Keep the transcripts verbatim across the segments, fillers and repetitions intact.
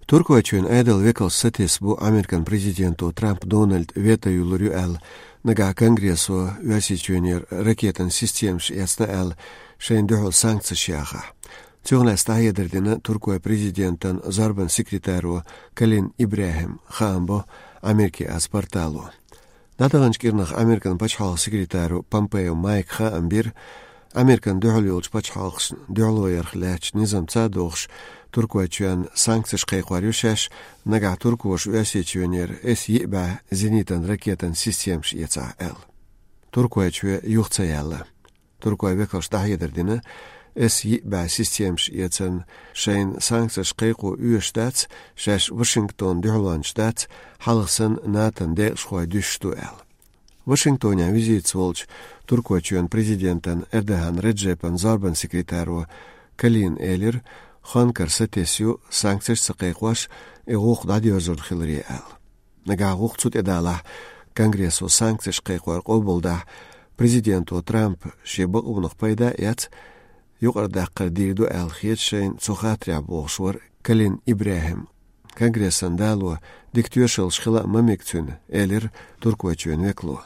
Туркойчоьнан Ӏедалан векалш сатесна бу Американ президенто Трамп Дональда вето йиллар ю аьлла, нагахь Конгрессо Оьрсийчоьнера ракетан системаш эцна аьлла, шайна дуьхьал санкцеш яхахь. Цунах лаьцна дӀахьедар дина Туркойн президентан зорбанан секретаро Калин ИбрахӀима, хаам бо Америкас портало. ДӀадаханчу кӀирнах Американ пачхьалкхан секретаро Помпео Майка хаам бира, Американа дуьхьал йолчу пачхьалкхашна дуьхьало ярх лаьттачу низамца а догӀуш, Туркойчоьнна санкцеш кхайкхор ю шаьш, нагахь туркоша Оьрсийчоьнера эс йиъ бӀе зенитан ракетан системаш эцахь аьлла. Туркойчоь юха ца яьлла. Туркойн векалша дӀахьедар дина, эс йиъ бӀе системаш эцарна шайна санкцеш кхайкхо оьшуш дац, шаьш Вашингтонна дуьхьалончаш дац, хьалха санна НАТОн декъашхой дуьсуш ду аьлла. Вашингтонехь визитаца волчу Туркойчоьнан президентан Эрдоган Реджепан зорбанан секретаро Калина элира, Анкара сатесна ю санкцеш ца кхайкхош, и гӀуллакх дӀадоьрзур хиларе аьлла. Нагахь гӀуллакх цу тӀе далахь, Конгрессо санкцеш кхайкхор къобалдахь, президенто Трампа шен бакъонах пайда а эцна, юкъара даккхар дийр ду аьлла хета шайна цу хаттарехь, бохуш вара Калин ИбрахӀим. Конгрессан дало дика тоьшаллаш хила а ма мега цуьнан, элира Туркойчоьнан векало.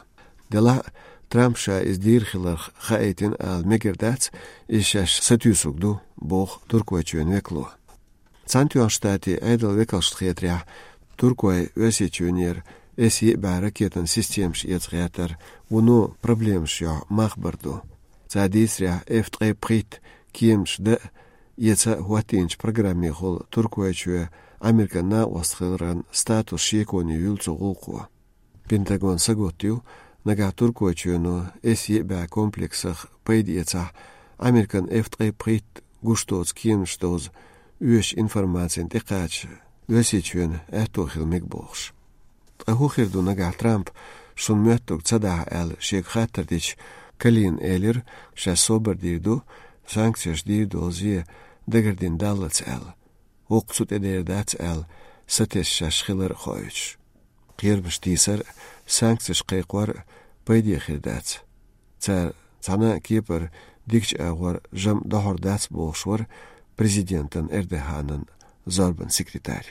Делахь а, Трампа ша иза дийр хиларх хаийтина ала мегар дац, иза шаьш сатуьйсург ду, боху Туркойчоьнан векало. Цхьаьнатоьхначу Штатийн Ӏедалан векалшна хетарехь, Туркойн Оьрсийчоьнера эс йиъ бӀе ракетан системаш эца гӀертар вуно проблемаш йохьу мах бар ду. Цара дийцарехь, эф ткъе пхийтта кеманаш дан а, эца а хӀоттийначу программехула Туркойчоь Американ накъост хиларан статус шеконе юьллу цу гӀуллакхо. Пентагон сагатдо, нагахь Туркойчоьно эс йиъ бӀе комплексах пайда эцахь, Американ эф ткъе пхийтта гуш доцу кеманаш довза оьшучу информацина тӀекхача Оьрсийчоьнан аьтто хила мега бохуш. Ткъа хӀун хир ду нагахь Трампа, шуна моьттург ца дахь аьлла, шега хаттар дича, Калина элира, шаьш собар дийр ду, санкцеш дийр долу зе дагардина даллалц аьлла. ХӀокху цу тӀе дер дац аьлла, сатесна шаьш хилар а хоуьйтуш. Кхерамаш тийсар а, санкцеш кхайкхор а пайде хир дац. Цара цхьана а кепара дикачу агӀор жамӀ дохьур дац, бохуш вара президентан Эрдоганан зорбанан секретарь.